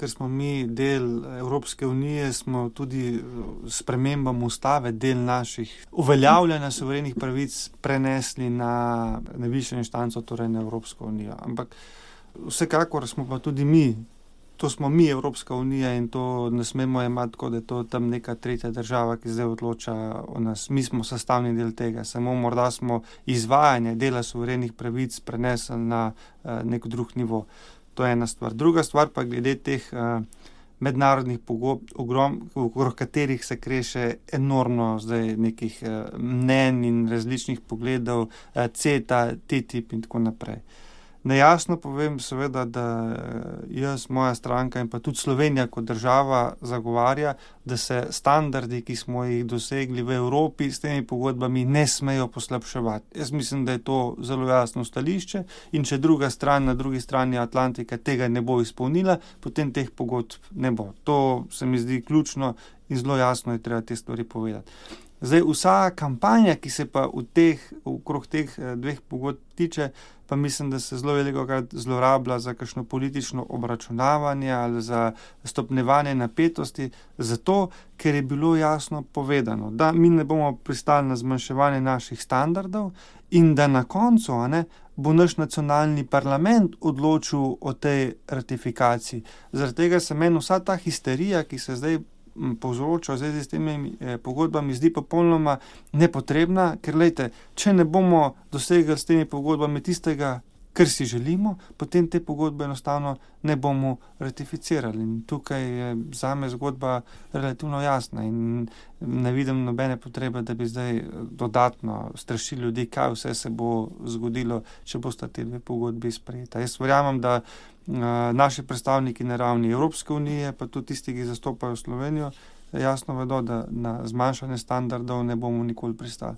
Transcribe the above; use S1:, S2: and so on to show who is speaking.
S1: ker smo mi del Evropske unije, smo tudi s spremembami ustave del naših uveljavljanja suverenih pravic prenesli na višjo inštanco, torej na Evropsko unijo. Ampak vsekakor smo pa tudi mi, to smo mi, Evropska unija, in to ne smemo jemati tako, da je to tam neka tretja država, ki zdaj odloča o nas. Mi smo sestavni del tega, samo morda smo izvajanje dela suverenih pravic prenesli na nek drug nivo. To je ena stvar. Druga stvar pa glede teh mednarodnih pogodb, okrog katerih se kreše enormno zdaj nekih mnenj in različnih pogledov, CETA, TTIP in tako naprej. Nejasno povem seveda, da jaz, moja stranka in pa tudi Slovenija kot država zagovarja, da se standardi, ki smo jih dosegli v Evropi s temi pogodbami, ne smejo poslabševati. Jaz mislim, da je to zelo jasno stališče, in če druga stran na drugi strani Atlantika tega ne bo izpolnila, potem teh pogodb ne bo. To se mi zdi ključno in zelo jasno je treba te stvari povedati. Zdaj, vsa kampanja, ki se pa okrog teh dveh pogodb tiče, pa mislim, da se zelo velikokrat zlorablja za kakšno politično obračunavanje ali za stopnjevanje napetosti, zato, ker je bilo jasno povedano, da mi ne bomo pristali na zmanjševanje naših standardov in da na koncu, bo naš nacionalni parlament odločil o tej ratifikaciji. Zaradi tega se meni vsa ta histerija, ki se zdaj povzroča v zvezi s temi pogodbami, zdi popolnoma nepotrebna, ker če ne bomo dosegli s temi pogodbami tistega, kar si želimo, potem te pogodbe enostavno ne bomo ratificirali. In tukaj je zame zgodba relativno jasna in ne vidim nobene potrebe, da bi zdaj dodatno strašili ljudi, kaj vse se bo zgodilo, če bosta te dve pogodbi sprejeta. Jaz verjamem, da naši predstavniki na ravni Evropske unije, pa tudi tisti, ki zastopajo Slovenijo, jasno vedo, da na zmanjšanje standardov ne bomo nikoli pristali.